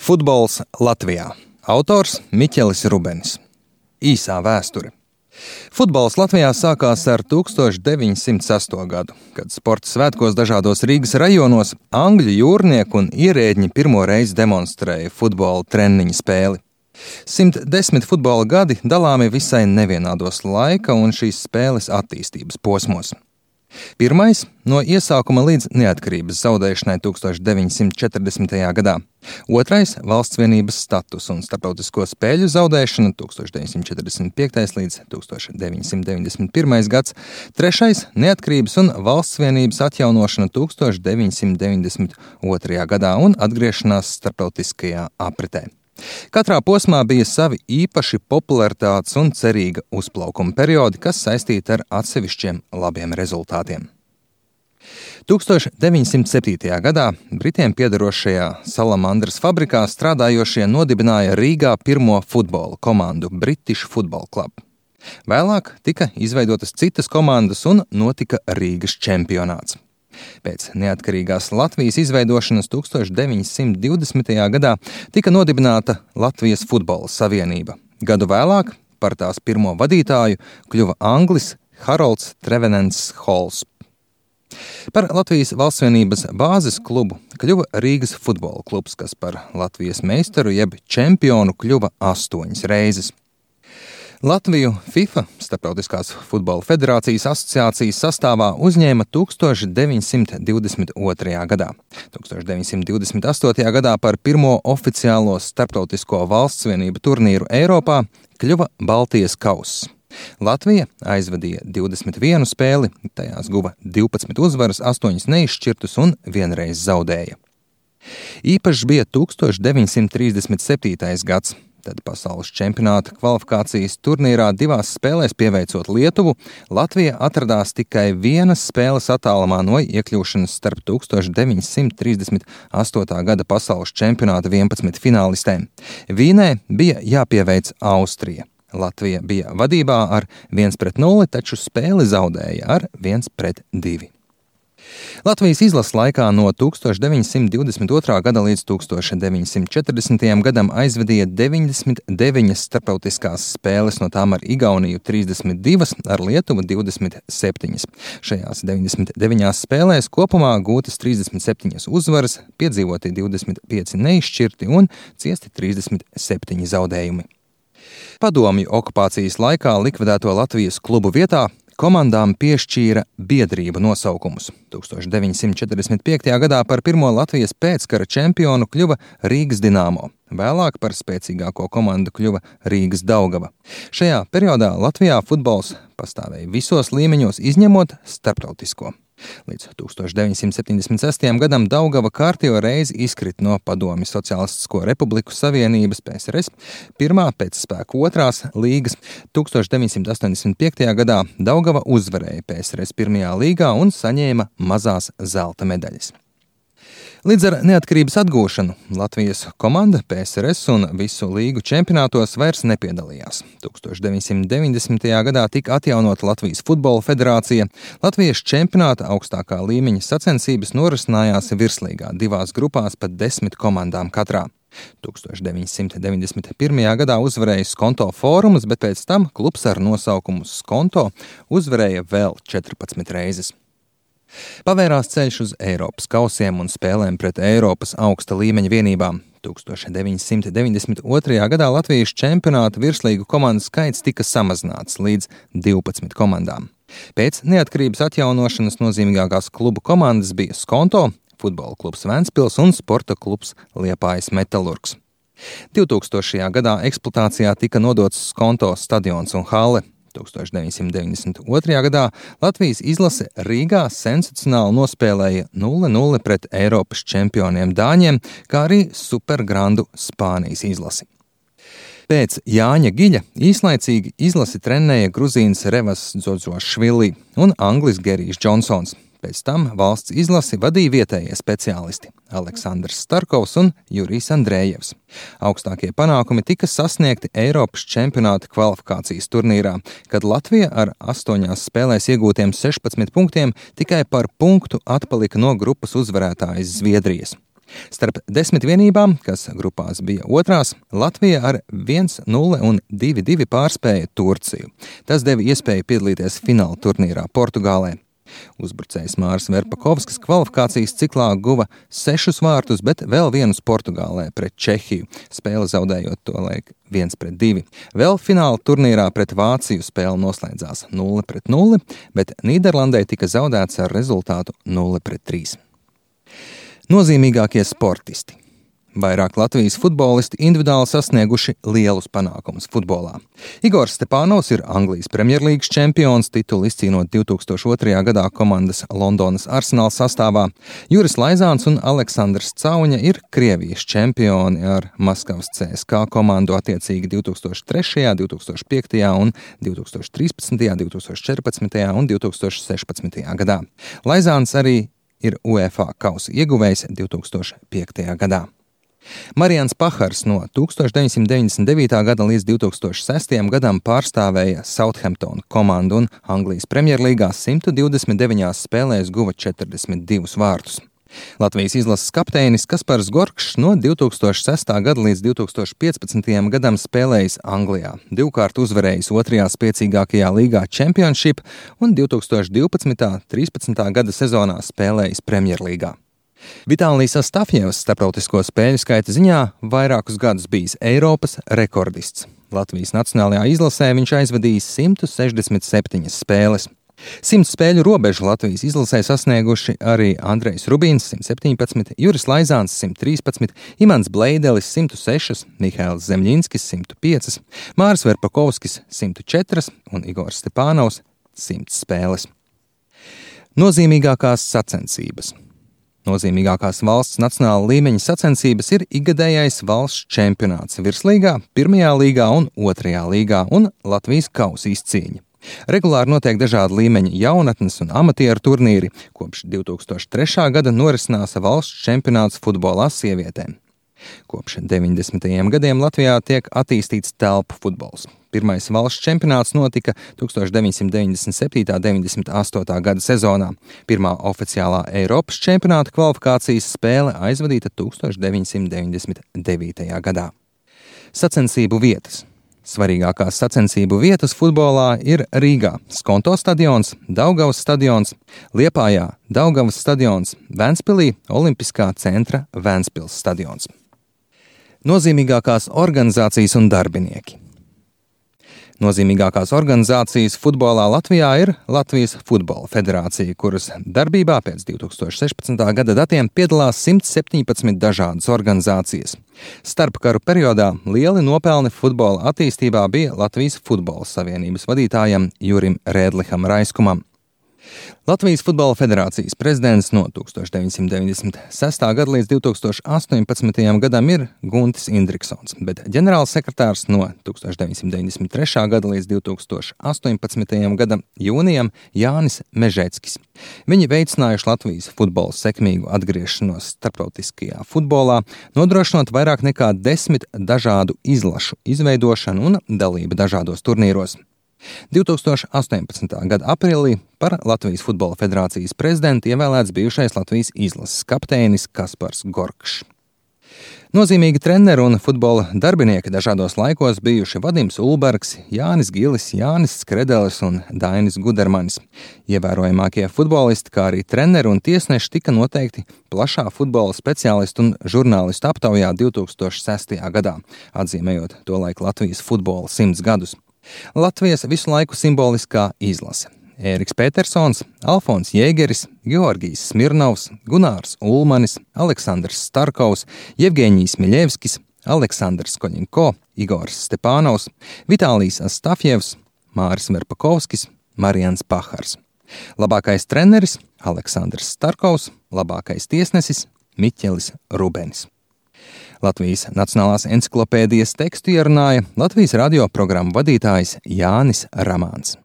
Futbols Latvijā. Autors Miķelis Rubenis. Īsā vēsture. Futbols Latvijā sākās ar 1908. gadu, kad sporta svētkos dažādos Rīgas rajonos angļu jūrnieki un ierēdņi pirmo reizi demonstrēja futbola treniņu spēli. 110 futbola gadi dalāmi visai nevienādos laika un šīs spēles attīstības posmos. Pirmais no iesākuma līdz neatkarības zaudēšanai 1940. gadā. Otrais - valsts vienības status un starptautisko spēļu zaudēšana 1945. līdz 1991. gads. Trešais - neatkarības un valsts vienības atjaunošana 1992. gadā un atgriešanās starptautiskajā apritē. Katrā posmā bija savi īpaši popularitātes un cerīga uzplaukuma periodi, kas saistīti ar atsevišķiem labiem rezultātiem. 1907. gadā Britiem piederošajā Salamandras fabrikā strādājošie nodibināja Rīgā pirmo futbola komandu British Football Club. Vēlāk tika izveidotas citas komandas un notika Rīgas čempionāts. Pēc neatkarīgās Latvijas izveidošanas 1920. gadā tika nodibināta Latvijas futbola savienība. Gadu vēlāk par tās pirmo vadītāju kļuva anglis Harolds Trevenants Halls. Par Latvijas valstsvienības bāzes klubu kļuva Rīgas futbola klubs, kas par Latvijas meistaru jeb čempionu kļuva 8 reizes. Latviju FIFA, Starptautiskās futbola federācijas asociācijas sastāvā uzņēma 1922. gadā. 1928. gadā par pirmo oficiālo starptautisko valstsvienību turnīru Eiropā kļuva Baltijas kauss. Latvija aizvadīja 21 spēli, tajās guva 12 uzvaras, 8 neizšķirtus un vienreiz zaudēja. Īpašs bija 1937. gads. Tad pasaules čempionāta kvalifikācijas turnīrā 2 spēlēs pieveicot Lietuvu, Latvija atradās tikai 1 spēles attālumā no iekļūšanas starp 1938. gada pasaules čempionāta 11 finālistēm. Vīnē bija jāpieveic Austrija. Latvija bija vadībā ar 1-0, taču spēli zaudēja ar 1-2. Latvijas izlases laikā no 1922. gada līdz 1940. gadam aizvadīja 99 starptautiskās spēles, no tām ar Igauniju 32, ar Lietuvu 27. Šajās 99 spēlēs kopumā gūtas 37 uzvaras, piedzīvoti 25 neizšķirti un ciesti 37 zaudējumi. Padomju okupācijas laikā likvidēto Latvijas klubu vietā komandām piešķīra biedrību nosaukumus. 1945. gadā par pirmo Latvijas pēckara čempionu kļuva Rīgas Dinamo. Vēlāk par spēcīgāko komandu kļuva Rīgas Daugava. Šajā periodā Latvijā futbols pastāvēja visos līmeņos, izņemot starptautisko. Līdz 1976. gadam Daugava kārtējo reizi izkrita no Padomju Sociālistisko Republiku Savienības PSRS, pirmā pēc spēku 2. līgas. 1985. gadā Daugava uzvarēja PSRS 1. līgā un saņēma mazās zelta medaļas. Līdz ar neatkarības atgūšanu Latvijas komanda PSRS un visu līgu čempionātos vairs nepiedalījās. 1990. gadā tika atjaunota Latvijas futbola federācija. Latvijas čempionāta augstākā līmeņa sacensības norisinājās virslīgā 2 grupās pat 10 komandām katrā. 1991. gadā uzvarēja Skonto Fórums, bet pēc tam klubs ar nosaukumu Skonto uzvarēja vēl 14 reizes. Pavērās ceļš uz Eiropas kausiem un spēlēm pret Eiropas augsta līmeņa vienībām. 1992. gadā Latvijas čempionāta virslīgu komandu skaits tika samazināts līdz 12 komandām. Pēc neatkarības atjaunošanas nozīmīgākās klubu komandas bija Skonto, futbola klubs Ventspils un sporta klubs Liepājas Metalurgs. 2000. gadā eksploatācijā tika nodots Skonto stadions un hale. 1992. gadā Latvijas izlase Rīgā sensacionāli nospēlēja 0-0 pret Eiropas čempioniem Dāņiem, kā arī supergrandu Spānijas izlasi. Pēc Jāņa Giļa īslaicīgi izlasi trenēja gruzīns Revas Dzodzošvili un anglis Gerijs Džonsons. Pēc tam valsts izlasi vadīja vietējie speciālisti Aleksandrs Starkovs un Jurijs Andrējevs. Augstākie panākumi tika sasniegti Eiropas čempionāta kvalifikācijas turnīrā, kad Latvija ar 8 spēlēs iegūtiem 16 punktiem tikai par punktu atpalika no grupas uzvarētājas Zviedrijas. Starp 10 vienībām, kas grupās bija otrās, Latvija ar 1-0 un 2-2 pārspēja Turciju. Tas deva iespēju piedalīties fināla turnīrā Portugālē. Uzbrucējs Māris Verpakovskis kvalifikācijas ciklā guva 6 vārtus, bet vēl vienus Portugālē pret Čehiju, spēli zaudējot tolaik 1-2. Vēl fināla turnīrā pret Vāciju spēle noslēdzās 0-0, bet Nīderlandē tika zaudēts ar rezultātu 0-3. Nozīmīgākie sportisti. Vairāk Latvijas futbolisti individuāli sasnieguši lielus panākumus futbolā. Igors Stepānovs ir Anglijas Premjerlīgas čempions, titulu izcīnot 2002. gadā komandas Londonas Arsenal sastāvā. Juris Laizāns un Aleksandrs Cauņa ir Krievijas čempioni ar Maskavas CSKA komandu attiecīgi 2003., 2005. un 2013., 2014. un 2016. gadā. Laizāns arī ir UEFA kausa ieguvējs 2005. gadā. Marians Pahars no 1999. gada līdz 2006. gadam pārstāvēja Southampton komandu un Anglijas Premjerlīgā 129 spēlēs guva 42 vārtus. Latvijas izlases kapteinis Kaspars Gorkšs no 2006. gada līdz 2015. gadam spēlējis Anglijā, divkārt uzvarējis otrajā spēcīgākajā līgā Championship un 2012.–13. gada sezonā spēlējis Premjerlīgā. Vitālijs Astafjevs starptautisko spēļu skaita ziņā vairākus gadus bijis Eiropas rekordists. Latvijas nacionālajā izlasē viņš aizvadījis 167 spēles. 100 spēļu robežu Latvijas izlasē sasnieguši arī Andrejs Rubīns 117, Juris Laizāns 113, Imants Bleidelis 106, Mihails Zemļinskis 105, Māris Verpakovskis 104 un Igors Stepānovs 100 spēles. Nozīmīgākās sacensības. Nozīmīgākās valsts nacionāla līmeņa sacensības ir ikgadējais valsts čempionāts virslīgā, 1. līgā un 2. līgā un Latvijas kausa izcīņa. Regulāri notiek dažādi līmeņa jaunatnes un amatieru turnīri. Kopš 2003. gada norisinās valsts čempionāts futbolā sievietēm. Kopš 90. gadiem Latvijā tiek attīstīts telpu futbols. Pirmais valsts čempionāts notika 1997.–98. gada sezonā. Pirmā oficiālā Eiropas čempionāta kvalifikācijas spēle aizvadīta 1999. gadā. Sacensību vietas. Svarīgākās sacensību vietas futbolā ir Rīgā Skonto stadions, Daugavas stadions, Liepājā Daugavas stadions, Ventspilī Olimpiskā centra Ventspils stadions. Nozīmīgākās organizācijas un darbinieki. Nozīmīgākās organizācijas futbolā Latvijā ir Latvijas Futbola Federācija, kuras darbībā pēc 2016. gada datiem piedalās 117 dažādas organizācijas. Starpkaru periodā lieli nopelni futbola attīstībā bija Latvijas Futbola Savienības vadītājam Jurim Rēdliham Raiskumam. Latvijas Futbola Federācijas prezidents no 1996. gada līdz 2018. gadam ir Guntis Indriksons, bet ģenerālsekretārs no 1993. gada līdz 2018. gada jūnijam Jānis Mežeckis. Viņi veicinājuši Latvijas futbola sekmīgu atgriešanos starptautiskajā futbolā, nodrošinot vairāk nekā 10 dažādu izlašu izveidošanu un dalību dažādos turnīros. 2018. gada aprīlī par Latvijas Futbola Federācijas prezidentu ievēlēts bijušais Latvijas izlases kapteinis Kaspars Gorkšs. Nozīmīgi treneri un futbola darbinieki dažādos laikos bijuši Vadims Ulbergs, Jānis Gilis, Jānis Skredelis un Dainis Gudermanis. Ievērojamākie futbolisti, kā arī treneri un tiesneši tika noteikti plašā futbola speciālistu un žurnālistu aptaujā 2006. gadā, atzīmējot tolaik Latvijas futbola 100 gadus. Latvijas visu laiku simboliskā izlase. Ēriks Petersons, Alfons Jēgeris, Georgijs Smirnovs, Gunārs Ulmanis, Aleksandrs Starkovs, Jevgeņijs Miļevskis, Aleksandrs Koļinko, Igors Stepānovs, Vitālijs Astafjevs, Māris Verpakovskis, Marians Pahars. Labākais treneris Aleksandrs Starkovs, labākais tiesnesis Miķelis Rubenis. Latvijas Nacionālās enciklopēdijas tekstu ierunāja Latvijas radio programmu vadītājs Jānis Ramāns.